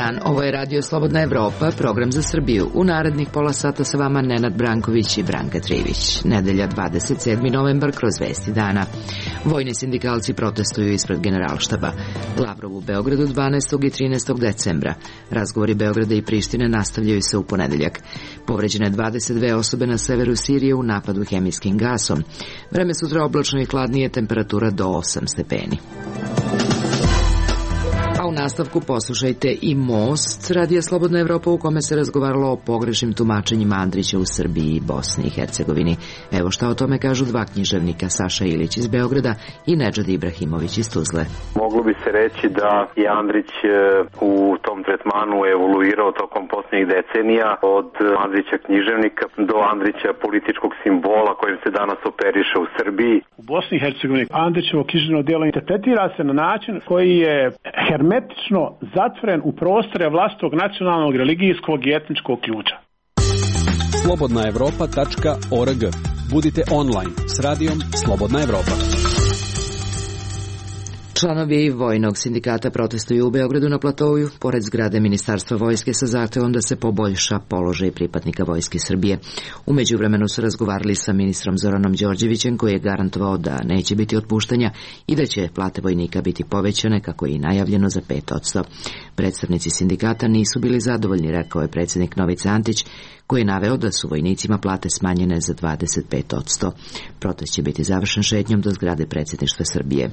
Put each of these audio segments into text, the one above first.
dan, ovo je Radio Slobodna Evropa, program za Srbiju. U narednih pola sata sa vama Nenad Branković i Branka Trivić. Nedelja 27. novembar kroz vesti dana. Vojni sindikalci protestuju ispred Generalštaba. Lavrov u Beogradu 12. i 13. decembra. Razgovori Beograda i Prištine nastavljaju se u ponedeljak. Povređene 22 osobe na severu Sirije u napadu hemijskim gasom. Vreme sutra oblačno i hladnije, temperatura do 8 stepeni. A u nastavku poslušajte i Most, Radija Slobodna Evropa, u kome se razgovaralo o pogrešnim tumačenjima Andrića u Srbiji i Bosni i Hercegovini. Evo šta o tome kažu dva književnika, Saša Ilić iz Beograda i Nedžad Ibrahimović iz Tuzle. Moglo bi se reći da je Andrić u tom tretmanu evoluirao tokom posljednjih decenija od Andrića književnika do Andrića političkog simbola kojim se danas operiše u Srbiji. U Bosni i Hercegovini Andrićevo književno djelo interpretira se na način koji je hermetično zatvoren u prostore vlastitog nacionalnog, religijskog i etničkog ključa. slobodnaevropa.org. Budite online s radijom Slobodna Evropa. Članovi Vojnog sindikata protestuju u Beogradu na Platoju, pored zgrade Ministarstva vojske, sa zahtevom da se poboljša položaj pripadnika Vojske Srbije. U međuvremenu su razgovarali sa ministrom Zoranom Đorđevićem, koji je garantovao da neće biti otpuštanja i da će plate vojnika biti povećane, kako je i najavljeno, za 5%. Predstavnici sindikata nisu bili zadovoljni, rekao je predsjednik Novica Antić, koji je naveo da su vojnicima plate smanjene za 25%. Protest će biti završen šetnjom do zgrade predsjedništva Srbije.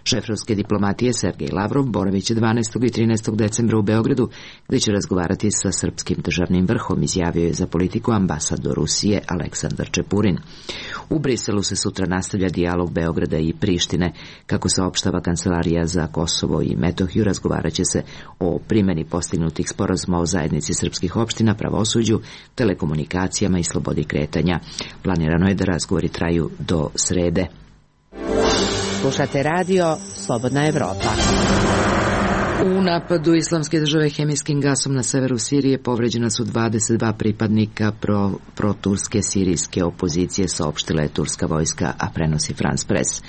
Šef ruske diplomatije Sergej Lavrov boraviće 12. i 13. decembra u Beogradu, gdje će razgovarati sa srpskim državnim vrhom, izjavio je za politiku ambasador Rusije Aleksandar Čepurin. U Briselu se sutra nastavlja dijalog Beograda i Prištine. Kako saopštava Kancelarija za Kosovo i Metohiju, razgovarat će se o primjeni postignutih sporazuma o zajednici srpskih opština, pravosuđu, telekomunikacijama i slobodi kretanja. Planirano je da razgovori traju do srede. Slušate radio Slobodna Evropa. U napadu Islamske države hemijskim gasom na severu Sirije povređena su 22 pripadnika proturske sirijske opozicije, saopštila je turska vojska, a prenosi France Press.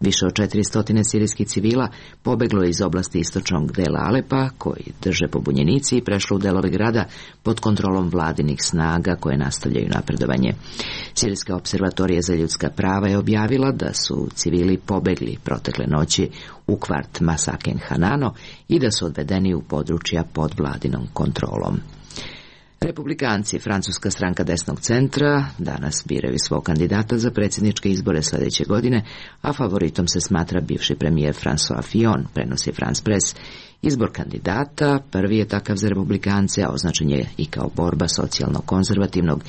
Više od 400 sirijskih civila pobeglo je iz oblasti istočnog dela Alepa, koji drže pobunjenici, i prešlo u delove grada pod kontrolom vladinih snaga koje nastavljaju napredovanje. Sirijska observatorija za ljudska prava je objavila da su civili pobegli protekle noći u kvart Masaken Hanano i da su odvedeni u područja pod vladinom kontrolom. Republikanci, francuska stranka desnog centra, danas biraju svog kandidata za predsjedničke izbore sljedeće godine, a favoritom se smatra bivši premijer François Fillon, prenosi France Press. Izbor kandidata prvi je takav za republikance, a označen je i kao borba socijalno-konzervativnog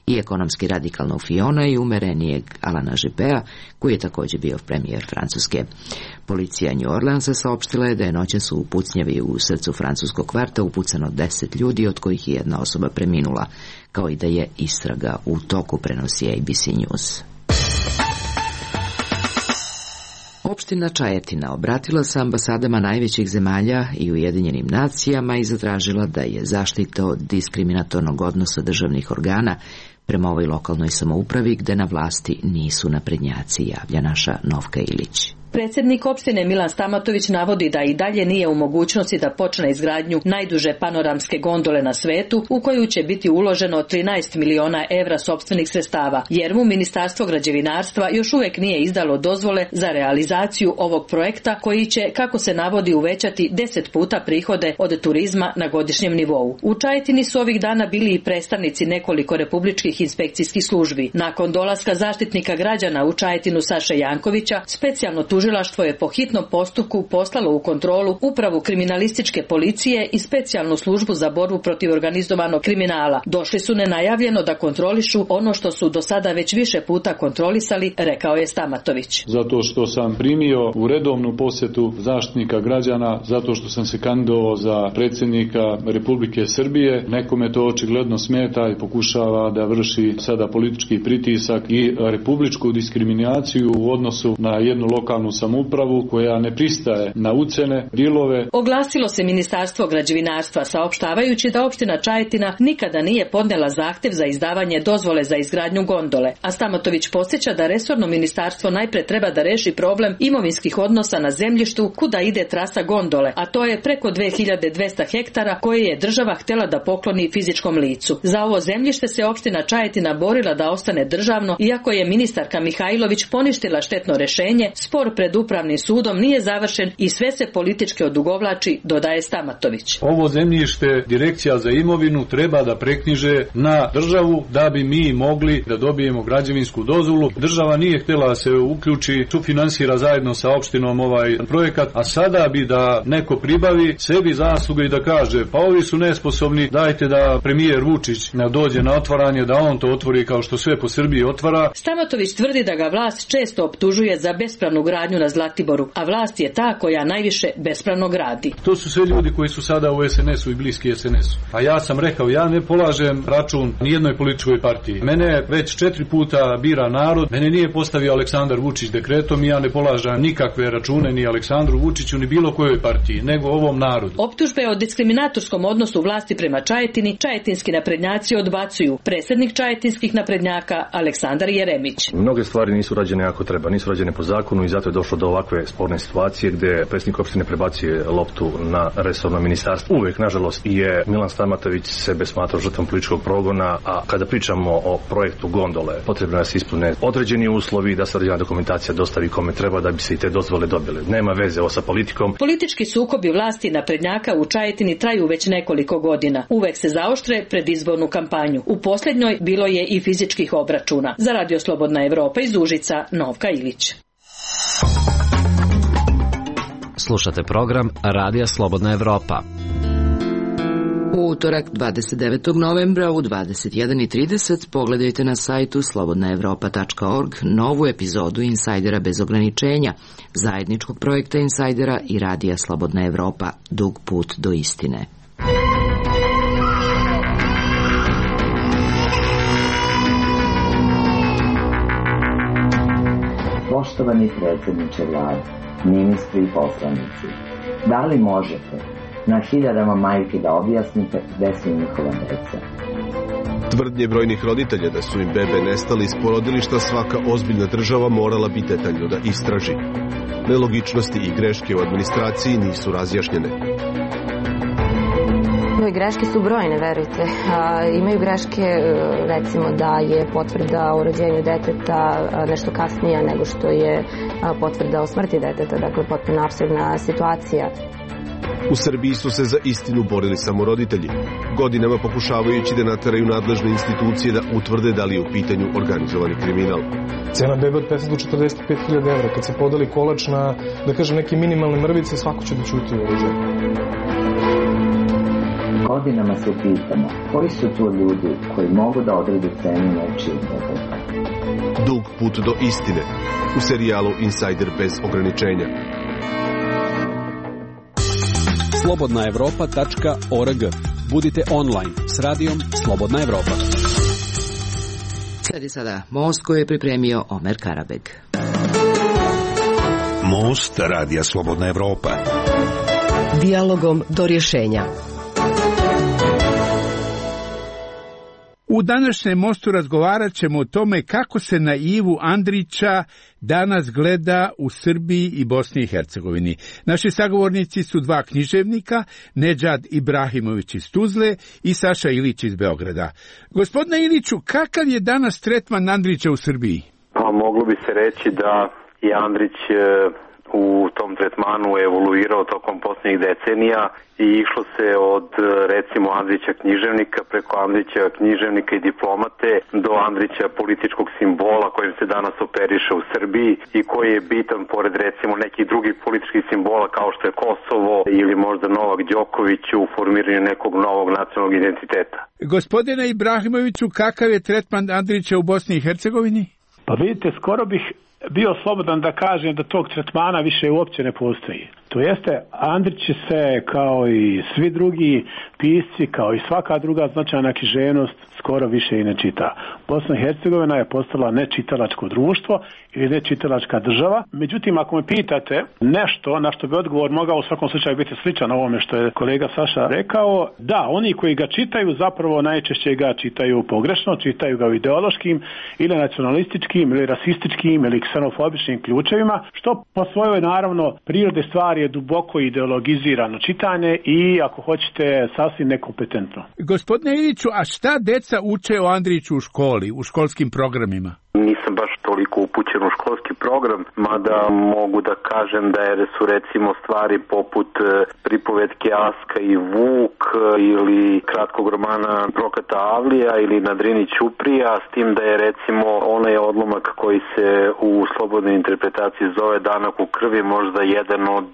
i ekonomski radikalnog Fillona i umerenijeg Alana Juppea, koji je također bio premijer Francuske. Policija New Orleansa saopštila je da je noćas u pucnjavi u srcu francuskog kvarta upucano 10 ljudi, od kojih je jedna osoba preminula, kao i da je istraga u toku, prenosi ABC News. Opština Čajetina obratila se ambasadama najvećih zemalja i Ujedinjenim nacijama i zatražila da je zaštita od diskriminatornog odnosa državnih organa prema ovoj lokalnoj samoupravi, gde na vlasti nisu naprednjaci, javlja naša Novka Ilić. Predsjednik opštine Milan Stamatović navodi da i dalje nije u mogućnosti da počne izgradnju najduže panoramske gondole na svetu, u koju će biti uloženo 13 miliona evra sopstvenih sredstava, jer mu Ministarstvo građevinarstva još uvijek nije izdalo dozvole za realizaciju ovog projekta, koji će, kako se navodi, uvećati 10 puta prihode od turizma na godišnjem nivou. U Čajetini su ovih dana bili i predstavnici nekoliko republičkih inspekcijskih službi. Nakon dolaska zaštitnika građana u Čajetinu Saše Jankovića, specijalno tužilaštvo je po hitnom postupku poslalo u kontrolu upravu kriminalističke policije i specijalnu službu za borbu protiv organizovanog kriminala. Došli su nenajavljeno da kontrolišu ono što su do sada već više puta kontrolisali, rekao je Stamatović. Zato što sam primio u redovnu posjetu zaštitnika građana, zato što sam se kandidovao za predsjednika Republike Srbije, nekome to očigledno smeta i pokušava da vrši sada politički pritisak i republičku diskriminaciju u odnosu na jednu lokalnu lokalnu samoupravu koja ne pristaje na ucene, dilove. Oglasilo se Ministarstvo građevinarstva saopštavajući da opština Čajetina nikada nije podnela zahtev za izdavanje dozvole za izgradnju gondole, a Stamatović podsjeća da resorno ministarstvo najpre treba da reši problem imovinskih odnosa na zemljištu kuda ide trasa gondole, a to je preko 2200 hektara koje je država htjela da pokloni fizičkom licu. Za ovo zemljište se opština Čajetina borila da ostane državno, iako je ministarka Mihajlović poništila štetno rešenje, spor pred upravnim sudom nije završen i sve se politički odugovlači, dodaje Stamatović. Ovo zemljište Direkcija za imovinu treba da preknjiže na državu da bi mi mogli da dobijemo građevinsku dozvolu. Država nije htjela da se uključi, sufinansira zajedno sa opštinom ovaj projekat, a sada bi da neko pribavi sebi zasluge i da kaže pa ovi su nesposobni, dajte da premijer Vučić ne dođe na otvaranje, da on to otvori kao što sve po Srbiji otvara. Stamatović tvrdi da ga vlast često optužuje za bespravnu gradnju na Zlatiboru, a vlast je ta koja najviše bespravno gradi. To su sve ljudi koji su sada u SNS-u i bliski SNS-u. A ja sam rekao, ja ne polažem račun nijednoj političkoj partiji. Mene već 4 puta bira narod, mene nije postavio Aleksandar Vučić dekretom i ja ne polažem nikakve račune ni Aleksandru Vučiću ni bilo kojoj partiji, nego ovom narodu. Optužbe o diskriminatorskom odnosu vlasti prema Čajetini čajetinski naprednjaci odbacuju. Predsjednik čajetinskih naprednjaka Aleksandar Jeremić. Mnoge stvari nisu rađene kako treba, nisu rađene po zakonu i zato je došlo do ovakve sporne situacije gdje predsjednik opštine prebacuje loptu na resorno ministarstvo. Uvijek, nažalost, je Milan Stamatović sebe smatrao žrtvom političkog progona, a kada pričamo o projektu gondole, potrebno je da se ispune određeni uslovi, da se određena dokumentacija dostavi kome treba da bi se i te dozvole dobile. Nema veze ovo sa politikom. Politički sukobi vlasti naprednjaka u Čajetini traju već nekoliko godina. Uvek se zaoštre pred izbornu kampanju. U posljednjoj bilo je i fizičkih obračuna. Za Radio Slobodna Evropa iz Užica, Novka Ilić. Slušate program Radija Slobodna Evropa. U utorak 29. novembra u 21:30 pogledajte na sajtu slobodnaevropa.org novu epizodu Insajdera bez ograničenja, zajedničkog projekta Insajdera i Radija Slobodna Evropa, dug put do istine. Poštovani predsjedniče vlade, ministri i poslanici, da li možete na hiljadama majki da objasnite gde su njihova deca? Tvrdnje brojnih roditelja da su im bebe nestali iz porodilišta svaka ozbiljna država morala bi detaljno da istraži. Nelogičnosti i greške u administraciji nisu razjašnjene. Greške su brojne, verujte. Imaju greške, recimo da je potvrda o rođenju deteta nešto kasnija nego što je potvrda o smrti deteta, dakle potpuno apsurdna situacija. U Srbiji su se za istinu borili samo roditelji, godinama pokušavajući da nateraju nadležne institucije da utvrde da li je u pitanju organizovani kriminal. Cena bebe od 50 do 45.000 evra, kad se podeli kolač na, da kažem, neke minimalne mrvice, svako će da ćuti u ovoj zemlji. Godinama se pitamo koji su to ljudi koji mogu da odrede cenu nečijeg deteta. Dug put do istine u serijalu Insajder bez ograničenja. slobodnaevropa.org. Budite online s radijom Slobodna Evropa. Sledi sada Most koji je pripremio Omer Karabeg. Most Radija Slobodna Evropa. Dijalogom do rješenja. U današnjem Mostu razgovarat ćemo o tome kako se na Ivu Andrića danas gleda u Srbiji i Bosni i Hercegovini. Naši sagovornici su dva književnika, Nedžad Ibrahimović iz Tuzle i Saša Ilić iz Beograda. Gospodine Iliću, kakav je danas tretman Andrića u Srbiji? Pa moglo bi se reći da je Andrić u tom tretmanu evoluirao tokom posljednjih decenija i išlo se od recimo Andrića književnika preko Andrića književnika i diplomate do Andrića političkog simbola kojim se danas operiše u Srbiji i koji je bitan pored recimo nekih drugih političkih simbola kao što je Kosovo ili možda Novak Đoković u formiranju nekog novog nacionalnog identiteta. Gospodine Ibrahimoviću, kakav je tretman Andrića u Bosni i Hercegovini? Pa vidite, skoro bih bio slobodan da kažem da tog tretmana više uopće ne postoji. To To jeste, Andrić će se, kao i svi drugi pisci, kao i svaka druga značajna književnost, skoro više i ne čita. Bosna i Hercegovina je postala nečitalačko društvo ili nečitalačka država. Međutim, ako me pitate nešto na što bi odgovor mogao u svakom slučaju biti sličan ovome što je kolega Saša rekao, da, oni koji ga čitaju zapravo najčešće ga čitaju pogrešno, čitaju ga u ideološkim ili nacionalističkim ili rasističkim ili ksenofobičnim ključevima, što po svojoj naravno prirode stvari je duboko ideologizirano čitanje i, ako hoćete, sasvim nekompetentno. Gospodine Iliću, a šta deca uče o Andriću u školi, u školskim programima? Nisam baš toliko upućen u školski program, mada mogu da kažem da su recimo stvari poput pripovetke Aska i Vuk ili kratkog romana Prokata Avlija ili Na Drini Ćuprija, s tim da je recimo onaj odlomak koji se u slobodnoj interpretaciji zove Danak u krvi možda jedan od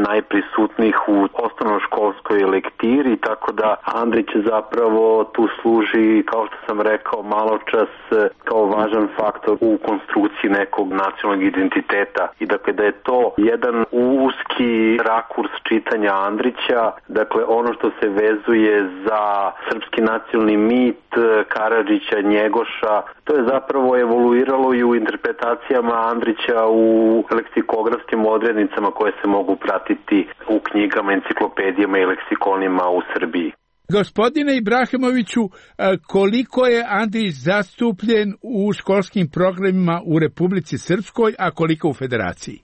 najprisutnijih u osnovnoškolskoj lektiri, tako da Andrić zapravo tu služi, kao što sam rekao maločas, kao važan faktor u konstrukciji nekog nacionalnog identiteta i dakle da je to jedan uski rakurs čitanja Andrića, dakle ono što se vezuje za srpski nacionalni mit Karadžića, Njegoša, to je zapravo evoluiralo i u interpretacijama Andrića u leksikografskim odrednicama koje se mogu pratiti u knjigama, enciklopedijama i leksikonima u Srbiji. Gospodine Ibrahimoviću, koliko je Andrić zastupljen u školskim programima u Republici Srpskoj, a koliko u Federaciji?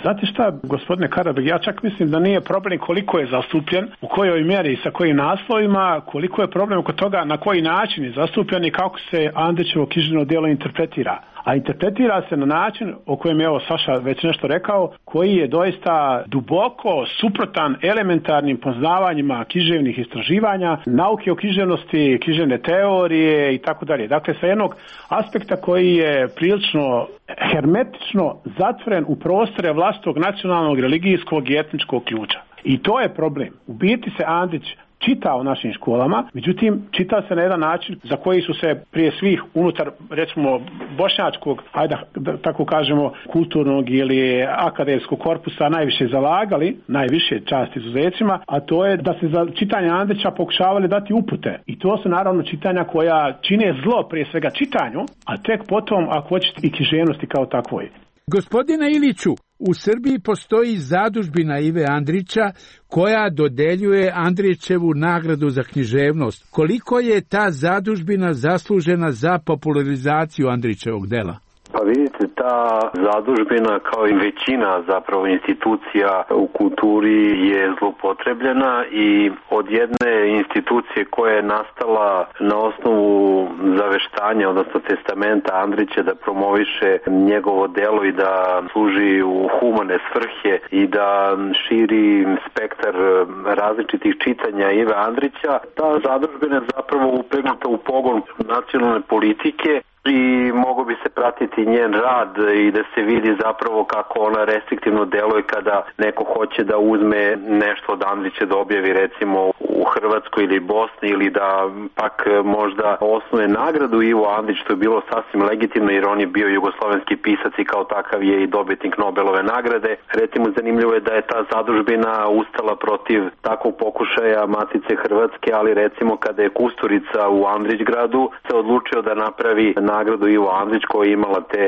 Znate šta, gospodine Karabeg, ja čak mislim da nije problem koliko je zastupljen, u kojoj mjeri i sa kojim naslovima, koliko je problem oko toga na koji način je zastupljen i kako se Andrićevo književno djelo interpretira. A interpretira se na način o kojem je Saša već nešto rekao, koji je doista duboko suprotan elementarnim poznavanjima književnih istraživanja, nauke o književnosti, književne teorije i tako dalje. Dakle, sa jednog aspekta koji je prilično hermetično zatvoren u prostore vlastitog nacionalnog, religijskog i etničkog ključa. I to je problem. U biti se Andrić čita u našim školama, međutim čita se na jedan način za koji su se prije svih unutar, recimo, bošnjačkog, ajde da tako kažemo, kulturnog ili akademskog korpusa najviše zalagali, najviše čast izuzecima, a to je da se za čitanje Andrića pokušavali dati upute. I to su naravno čitanja koja čine zlo prije svega čitanju, a tek potom, ako hoćete, i književnosti kao takvoj. Gospodine Iliću, u Srbiji postoji zadužbina Ive Andrića koja dodeljuje Andrićevu nagradu za književnost. Koliko je ta zadužbina zaslužena za popularizaciju Andrićevog dela? Pa vidite, ta zadužbina kao i većina zapravo institucija u kulturi je zloupotrebljena i od jedne institucije koja je nastala na osnovu zaveštanja, odnosno testamenta Andrića da promoviše njegovo delo i da služi u humane svrhe i da širi spektar različitih čitanja Ive Andrića, ta zadužbina je zapravo upregnuta u pogon nacionalne politike i mogo bi se pratiti njen rad i da se vidi zapravo kako ona restriktivno deluje kada neko hoće da uzme nešto od Andrića da objavi recimo u Hrvatskoj ili Bosni ili da pak možda osnuje nagradu Ivo Andrić, što je bilo sasvim legitimno jer on je bio jugoslovenski pisac i kao takav je i dobitnik Nobelove nagrade. Recimo zanimljivo je da je ta zadužbina ustala protiv takvog pokušaja Matice Hrvatske, ali recimo kada je Kusturica u Andrićgradu se odlučio da napravi nagradu Ivo Andrić koja je imala te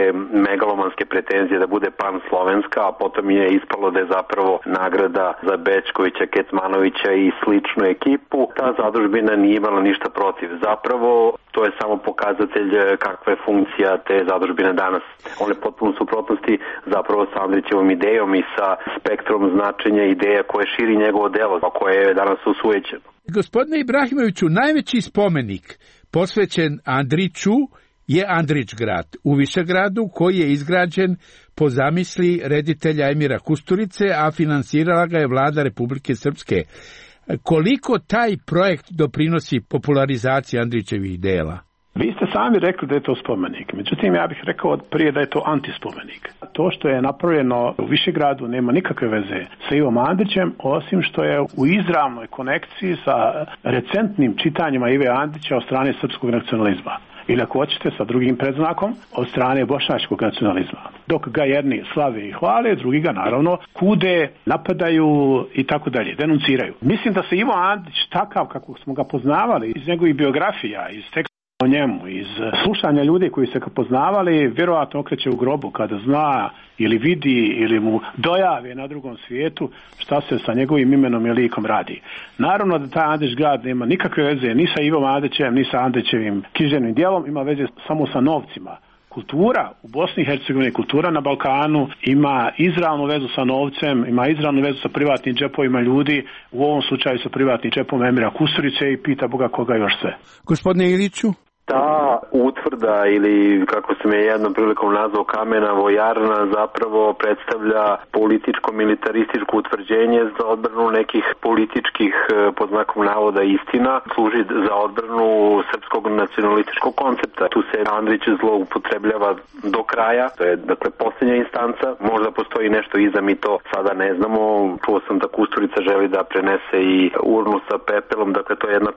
megalomanske pretenzije da bude pan-slovenska, a potom je ispalo da je zapravo nagrada za Bečkovića, Kecmanovića i sličnu ekipu. Ta zadužbina nije imala ništa protiv. Zapravo to je samo pokazatelj kakva je funkcija te zadužbine danas. On je potpuno suprotnosti zapravo sa Andrićevom idejom i sa spektrom značenja ideja koje širi njegovo delo, a koje je danas usujećeno. Gospodine Ibrahimoviću, najveći spomenik posvećen Andriću je Andrićgrad u Višegradu koji je izgrađen po zamisli reditelja Emira Kusturice, a finansirala ga je vlada Republike Srpske. Koliko taj projekt doprinosi popularizaciji Andrićevih dela? Vi ste sami rekli da je to spomenik, međutim ja bih rekao prije da je to antispomenik. To što je napravljeno u Višegradu nema nikakve veze sa Ivom Andrićem, osim što je u izravnoj konekciji sa recentnim čitanjima Ive Andrića od strane srpskog nacionalizma. ili ako hoćete sa drugim predznakom od strane bošnjačkog nacionalizma. Dok ga jedni slave i hvale, drugi ga naravno kude, napadaju i tako dalje, denunciraju. Mislim da se Ivo Andrić takav kako smo ga poznavali iz njegovih biografija, iz teksta o njemu, iz slušanja ljudi koji se ga poznavali, vjerojatno okreće u grobu kada zna ili vidi ili mu dojave na drugom svijetu šta se sa njegovim imenom i likom radi. Naravno da taj Andrić grad nema nikakve veze ni sa Ivom Andrićem, ni sa Andrićevim književnim djelom, ima veze samo sa novcima. Kultura u Bosni i Hercegovini, kultura na Balkanu ima izravnu vezu sa novcem, ima izravnu vezu sa privatnim džepovima ljudi, u ovom slučaju sa privatnim džepom Emira Kusturice i pita Boga koga još sve. Gospodine Iliću? Ta utvrda ili kako se me jednom prilikom nazvao kamena vojarna zapravo predstavlja političko-militarističko utvrđenje za odbranu nekih političkih pod znakom navoda istina, služi za odbranu srpskog nacionalističkog koncepta. Tu se Andrić zloupotrebljava do kraja, to je dakle posljednja instanca, možda postoji nešto iza, mi to sada ne znamo. Čuo sam da Kusturica želi da prenese i urnu sa pepelom, dakle to je jedna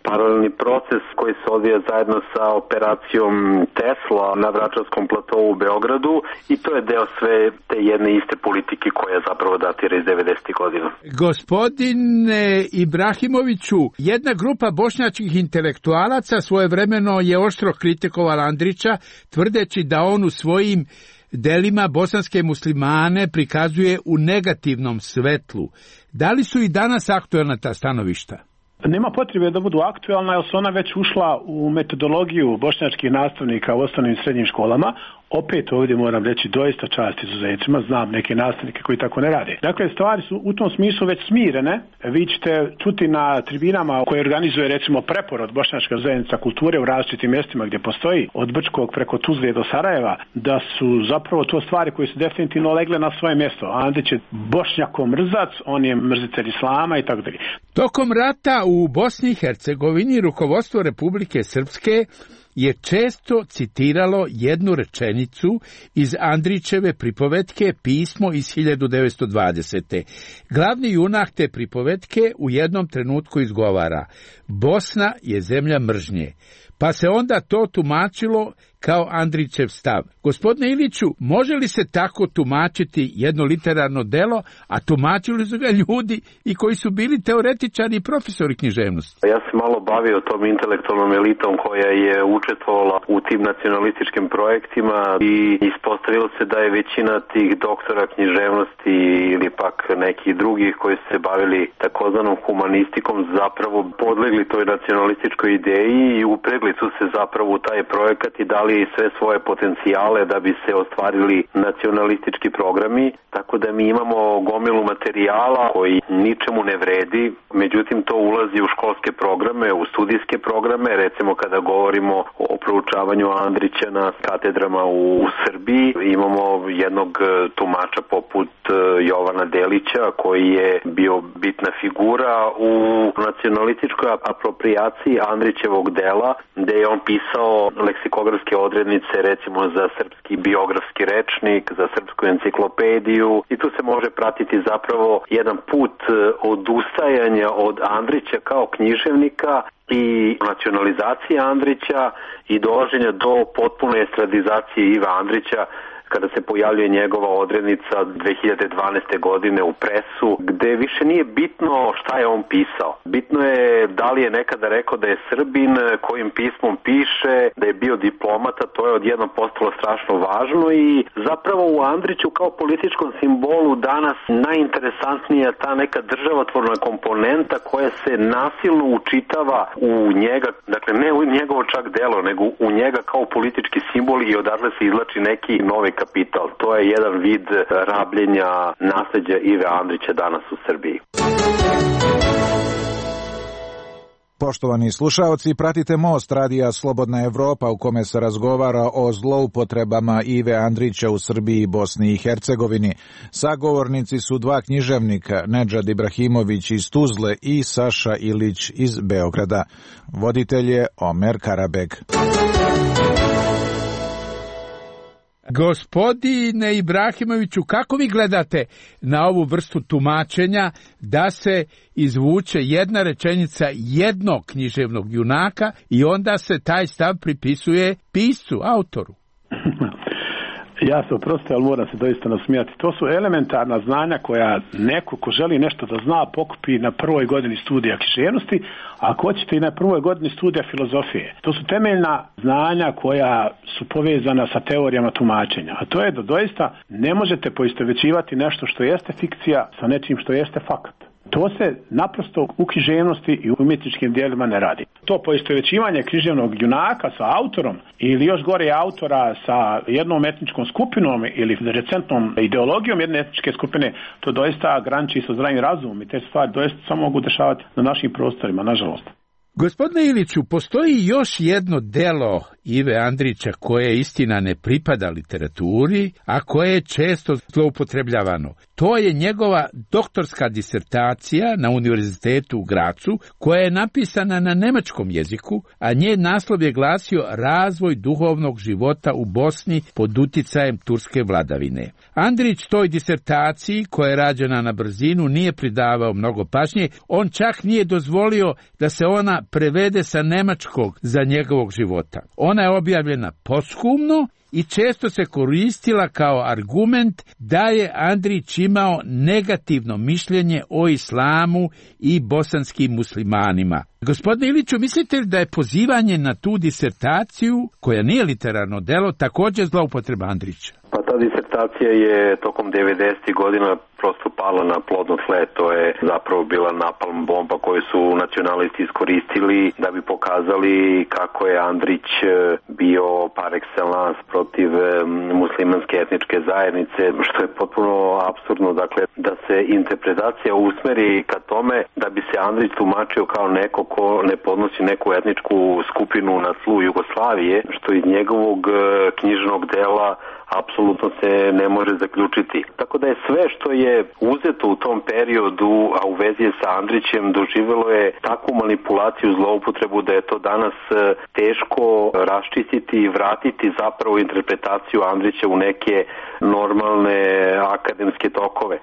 paralelni proces koji se odvija zajedno sa operacijom Tesla na Vračarskom platovu u Beogradu i to je deo sve te jedne iste politike koja zapravo datira iz 90. godina. Gospodine Ibrahimoviću, jedna grupa bošnjačkih intelektualaca svojevremeno je oštro kritikovala Andrića, tvrdeći da on u svojim delima bosanske muslimane prikazuje u negativnom svetlu. Da li su i danas aktuelna ta stanovišta? Nema potrebe da budu aktualna, jer su ona već ušla u metodologiju bošnjačkih nastavnika u osnovnim i srednjim školama. Opet ovdje moram reći doista čast izuzecima, znam neke nastavnike koji tako ne rade. Dakle, stvari su u tom smislu već smirene. Vi ćete čuti na tribinama koje organizuje recimo Preporod, bošnjačka zajednica kulture u različitim mjestima gdje postoji, od Brčkog preko Tuzle do Sarajeva, da su zapravo to stvari koje su definitivno legle na svoje mjesto. Andrić je Bošnjako mrzac, on je mrzitelj islama i tako dalje. Tokom rata u Bosni i Hercegovini rukovodstvo Republike Srpske je često citiralo jednu rečenicu iz Andrićeve pripovetke Pismo iz 1920. Glavni junak te pripovetke u jednom trenutku izgovara: Bosna je zemlja mržnje. Pa se onda to tumačilo kao Andrićev stav. Gospodine Iliću, može li se tako tumačiti jedno literarno delo, a tumačili su ga ljudi i koji su bili teoretičari i profesori književnosti? Ja sam malo bavio tom intelektualnom elitom koja je učestvovala u tim nacionalističkim projektima i ispostavilo se da je većina tih doktora književnosti ili pak nekih drugih koji su se bavili takozvanom humanistikom zapravo podlegli toj nacionalističkoj ideji i upregli su se zapravo u taj projekat i dali sve svoje potencijale da bi se ostvarili nacionalistički programi, tako da mi imamo gomilu materijala koji ničemu ne vredi, međutim to ulazi u školske programe, u studijske programe, recimo kada govorimo o proučavanju Andrića na katedrama u Srbiji, imamo jednog tumača poput Jovana Delića koji je bio bitna figura u nacionalističkoj aproprijaciji Andrićevog dela, gde je on pisao leksikografske odrednice recimo za srpski biografski rečnik, za srpsku enciklopediju i tu se može pratiti zapravo jedan put odustajanja od Andrića kao književnika i nacionalizacije Andrića i dolaženja do potpune estradizacije Iva Andrića kada se pojavljuje njegova odrednica 2012. godine u presu, gde više nije bitno šta je on pisao. Bitno je da li je nekada rekao da je Srbin, kojim pismom piše, da je bio diplomata, to je odjednom postalo strašno važno i zapravo u Andriću kao političkom simbolu danas najinteresantnija ta neka državotvorna komponenta koja se nasilno učitava u njega, dakle ne u njegovo čak delo, nego u njega kao politički simbol i odatle se izlači neki novi kapital. To je jedan vid rabljenja nasleđa Ive Andrića danas u Srbiji. Poštovani slušaoci, pratite Most radija Slobodna Evropa u kome se razgovara o zloupotrebama Ive Andrića u Srbiji i Bosni i Hercegovini. Sagovornici su dva književnika, Nedžad Ibrahimović iz Tuzle i Saša Ilić iz Beograda. Voditelj je Omer Karabek. Gospodine Ibrahimoviću, kako vi gledate na ovu vrstu tumačenja da se izvuče jedna rečenica jednog književnog junaka i onda se taj stav pripisuje piscu, autoru? Ja se oprosti, ali moram se doista nasmijati. To su elementarna znanja koja neko ko želi nešto da zna pokupi na prvoj godini studija književnosti, a ako hoćete i na prvoj godini studija filozofije. To su temeljna znanja koja su povezana sa teorijama tumačenja. A to je da doista ne možete poistovjećivati nešto što jeste fikcija sa nečim što jeste fakat. To se naprosto u književnosti i u umjetničkim dijelima ne radi. To poistovjećivanje književnog junaka sa autorom ili još gore autora sa jednom etničkom skupinom ili recentnom ideologijom jedne etničke skupine, to doista graniči sa zdravim razumom i te stvari doista samo mogu dešavati na našim prostorima, nažalost. Gospodine Iliću, postoji još jedno delo Ive Andrića koje istina ne pripada literaturi, a koje je često zloupotrebljavano. To je njegova doktorska disertacija na Univerzitetu u Gracu, koja je napisana na nemačkom jeziku, a njen naslov je glasio Razvoj duhovnog života u Bosni pod uticajem turske vladavine. Andrić toj disertaciji, koja je rađena na brzinu, nije pridavao mnogo pažnje, on čak nije dozvolio da se ona prevede sa nemačkog za njegovog života. Ona je objavljena posthumno i često se koristila kao argument da je Andrić imao negativno mišljenje o islamu i bosanskim muslimanima. Gospodine Iliću, mislite li da je pozivanje na tu disertaciju, koja nije literarno delo, također zloupotreba Andrića? Pa ta disertacija je tokom 90. godina prosto pala na plodno tle. To je zapravo bila napalm bomba koju su nacionalisti iskoristili da bi pokazali kako je Andrić bio par excellence protiv muslimanske etničke zajednice, što je potpuno apsurdno. Dakle, da se interpretacija usmeri ka tome da bi se Andrić tumačio kao neko ko ne podnosi neku etničku skupinu na tlu Jugoslavije, što iz njegovog knjižnog dela apsolutno se ne može zaključiti. Tako da je sve što je uzeto u tom periodu, a u vezi je sa Andrićem, doživjelo je takvu manipulaciju, zloupotrebu da je to danas teško raščistiti i vratiti zapravo interpretaciju Andrića u neke normalne akademske tokove.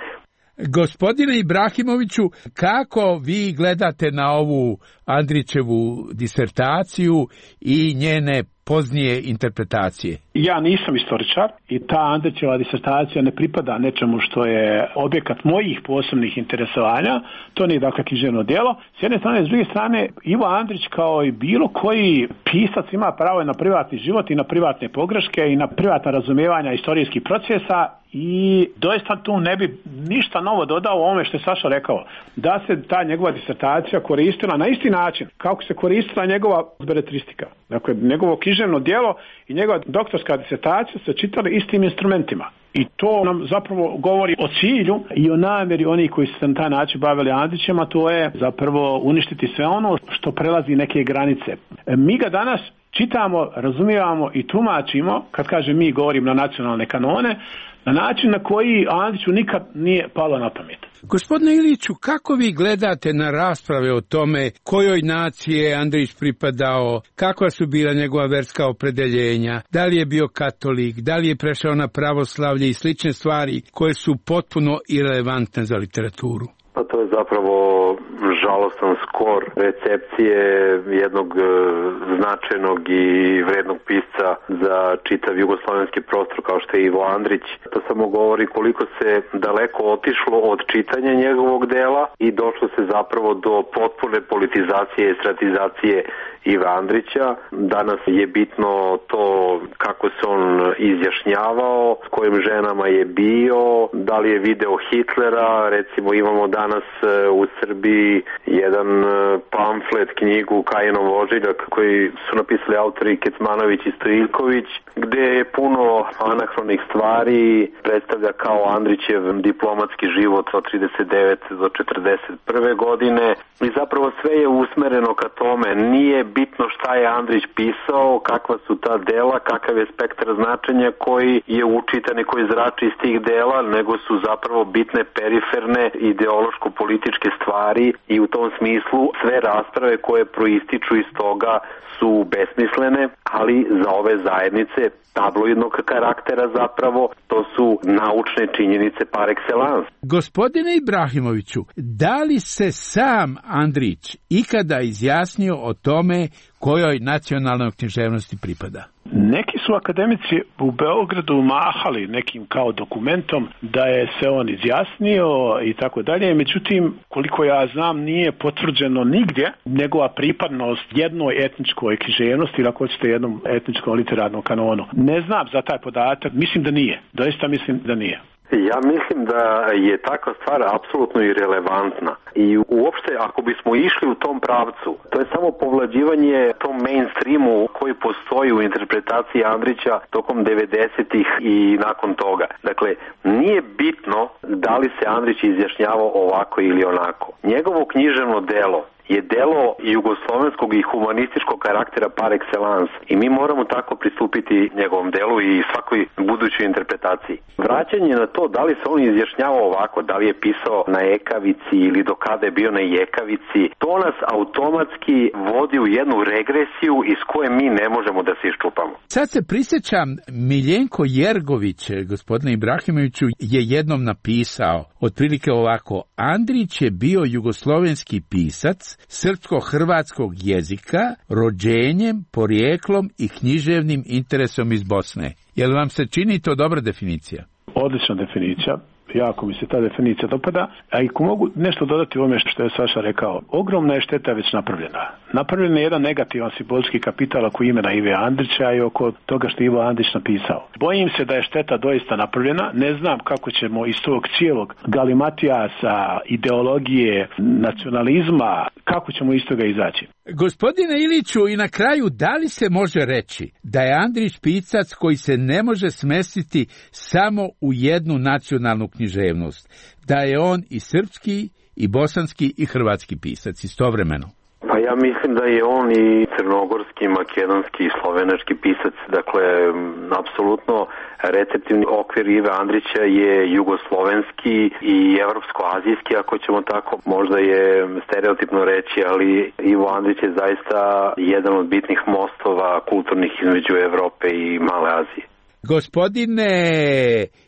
Gospodine Ibrahimoviću, kako vi gledate na ovu Andrićevu disertaciju i njene poznije interpretacije? Ja nisam istoričar i ta Andrićeva disertacija ne pripada nečemu što je objekat mojih posebnih interesovanja. To nije dakle književno djelo. S jedne strane, s druge strane, Ivo Andrić kao i bilo koji pisac ima pravo na privatni život i na privatne pogreške i na privatna razumijevanja istorijskih procesa i doista tu ne bi ništa novo dodao u ovome što je Saša rekao. Da se ta njegova disertacija koristila na isti način kako se koristila njegova beletristika. Dakle, njegovo književno djelo i njegova doktorska disertacija se čitali istim instrumentima. I to nam zapravo govori o cilju i o namjeri onih koji su se na taj način bavili Andrićem, a to je zapravo uništiti sve ono što prelazi neke granice. Mi ga danas čitamo, razumijevamo i tumačimo, kad kažem mi, govorim na nacionalne kanone, na način na koji Andriću nikad nije palo na pamet. Gospodine Iliću, kako vi gledate na rasprave o tome kojoj naciji je Andrić pripadao, kakva su bila njegova verska opredeljenja, da li je bio katolik, da li je prešao na pravoslavlje i slične stvari koje su potpuno irelevantne za literaturu? Pa to je zapravo žalostan skor recepcije jednog značajnog i vrednog pisca za čitav jugoslavenski prostor kao što je Ivo Andrić. To samo govori koliko se daleko otišlo od čitanja njegovog dela i došlo se zapravo do potpune politizacije i stratizacije Iva Andrića. Danas je bitno to kako se on izjašnjavao, s kojim ženama je bio, da li je video Hitlera. Recimo imamo danas u Srbiji jedan pamflet, knjigu Kajinov ožiljak koji su napisali autori Kecmanović i Stojiljković, gde je puno anahronih stvari, predstavlja kao Andrićev diplomatski život od 39 do 41. godine i zapravo sve je usmereno ka tome. Nije bitno šta je Andrić pisao, kakva su ta dela, kakav je spektar značenja koji je učitan i koji zrači iz tih dela, nego su zapravo bitne periferne ideološko-političke stvari i u tom smislu sve rasprave koje proističu iz toga su besmislene, ali za ove zajednice tabloidnog karaktera zapravo to su naučne činjenice par excellence. Gospodine Ibrahimoviću, da li se sam Andrić ikada izjasnio o tome kojoj nacionalnoj književnosti pripada? Neki su akademici u Beogradu mahali nekim kao dokumentom da je se on izjasnio i tako dalje, međutim, koliko ja znam, nije potvrđeno nigdje njegova pripadnost jednoj etničkoj književnosti ili ako hoćete jednom etničkom literarnom kanonu. Ne znam za taj podatak, mislim da nije, doista mislim da nije. Ja mislim da je takva stvar apsolutno irelevantna i uopšte ako bismo išli u tom pravcu, to je samo povlađivanje tom mainstreamu koji postoji u interpretaciji Andrića tokom 90-ih i nakon toga. Dakle, nije bitno da li se Andrić izjašnjavao ovako ili onako. Njegovo književno delo je delo jugoslovenskog i humanističkog karaktera par excellence i mi moramo tako pristupiti njegovom delu i svakoj budućoj interpretaciji. Vraćanje na to da li se on izjašnjavao ovako, da li je pisao na ekavici ili do kada je bio na jekavici, to nas automatski vodi u jednu regresiju iz koje mi ne možemo da se iščupamo. Sad se prisjećam, Miljenko Jergović, gospodine Ibrahimoviću, je jednom napisao otprilike ovako: Andrić je bio jugoslovenski pisac srpsko-hrvatskog jezika, rođenjem, porijeklom i književnim interesom iz Bosne. Jel vam se čini to dobra definicija? Odlična definicija. Jako mi se ta definicija dopada, a i ko mogu nešto dodati u ovome što je Saša rekao, ogromna je šteta već napravljena. Napravljen je jedan negativan simbolički kapital oko imena Ive Andrića i oko toga što Ivo Andrić napisao. Bojim se da je šteta doista napravljena, ne znam kako ćemo iz tog cijelog galimatijasa, ideologije, nacionalizma, kako ćemo iz toga izaći. Gospodine Iliću, i na kraju, da li se može reći da je Andrić pisac koji se ne može smestiti samo u jednu nacionalnu književnost, da je on i srpski, i bosanski, i hrvatski pisac istovremeno? Pa ja mislim da je on i crnogorski, makedonski i slovenački pisac. Dakle, apsolutno receptivni okvir Ive Andrića je jugoslovenski i evropsko-azijski, ako ćemo tako, možda je stereotipno reći, ali Ivo Andrić je zaista jedan od bitnih mostova kulturnih između Evrope i Male Azije. Gospodine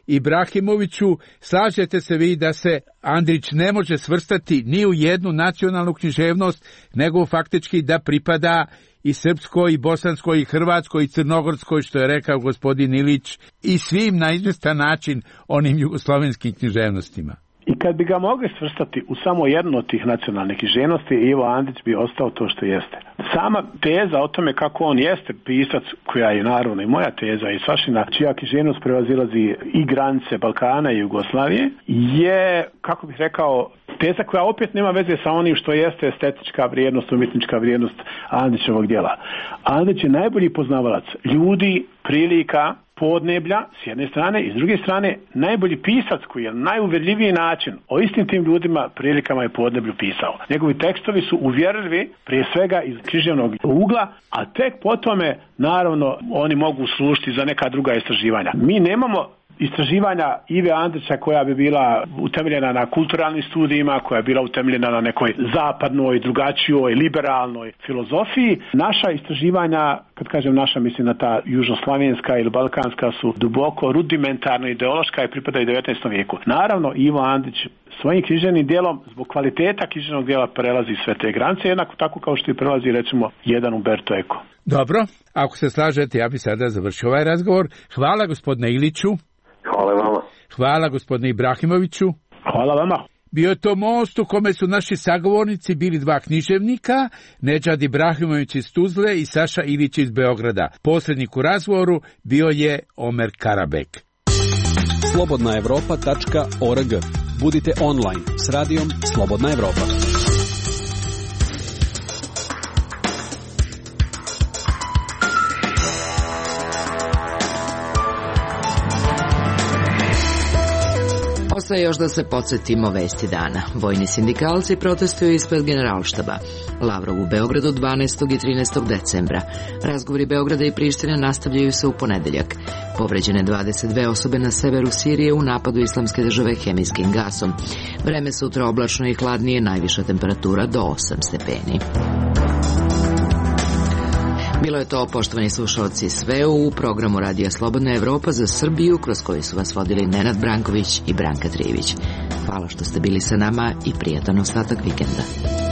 Ibrahimoviću, slažete se vi da se Andrić ne može svrstati ni u jednu nacionalnu književnost, nego faktički da pripada i srpskoj, i bosanskoj, i hrvatskoj, i crnogorskoj, što je rekao gospodin Ilić, i svim na izvestan način onim jugoslovenskim književnostima? I kad bi ga mogli svrstati u samo jednu od tih nacionalnih književnosti, Ivo Andrić bi ostao to što jeste. Sama teza o tome kako on jeste pisac, koja je naravno i moja teza i Sašina, čija književnost prevazilazi i granice Balkana i Jugoslavije, je, kako bih rekao, teza koja opet nema veze sa onim što jeste estetička vrijednost, umjetnička vrijednost Andrićevog djela. Andrić je najbolji poznavalac ljudi, prilika, podneblja s jedne strane i s druge strane najbolji pisac koji je na najuvjerljiviji način o istim tim ljudima, prilikama i podneblju pisao. Njegovi tekstovi su uvjerljivi prije svega iz književnog ugla, a tek potome naravno oni mogu služiti za neka druga istraživanja. Mi nemamo istraživanja Ive Andrića koja bi bila utemeljena na kulturalnim studijima, koja je bila utemeljena na nekoj zapadnoj, drugačijoj, liberalnoj filozofiji. Naša istraživanja, kad kažem naša, mislim na ta južnoslavenska ili balkanska, su duboko rudimentarno ideološka i pripadaju 19. vijeku. Naravno, Ivo Andrić svojim književnim djelom, zbog kvaliteta književnog djela, prelazi sve te granice, jednako tako kao što i prelazi, recimo, jedan Umberto Eco. Dobro, ako se slažete, ja bi sada završio ovaj razgovor. Hvala gospodine Iliću. Hvala vama. Hvala gospodine Ibrahimoviću. Hvala vama. Bio je to most u kome su naši sagovornici bili dva književnika, Nedžad Ibrahimović iz Tuzle i Saša Ilić iz Beograda. Posrednik u razgovoru bio je Omer Karabek. Slobodnaevropa.org. Budite online s radijom Slobodna Evropa. Dakle, još da se podsjetimo vesti dana. Vojni sindikalci protestuju ispred Generalštaba. Lavrov u Beogradu 12. i 13. decembra. Razgovori Beograda i Prištine nastavljaju se u ponedeljak. Povređene 22 osobe na severu Sirije u napadu Islamske države hemijskim gasom. Vreme sutra oblačno i hladnije, najviša temperatura do 8 stepeni. Bilo je to, poštovani slušalci, sve u programu Radija Slobodna Evropa za Srbiju, kroz koji su vas vodili Nenad Branković i Branka Trijević. Hvala što ste bili sa nama i prijatan ostatak vikenda.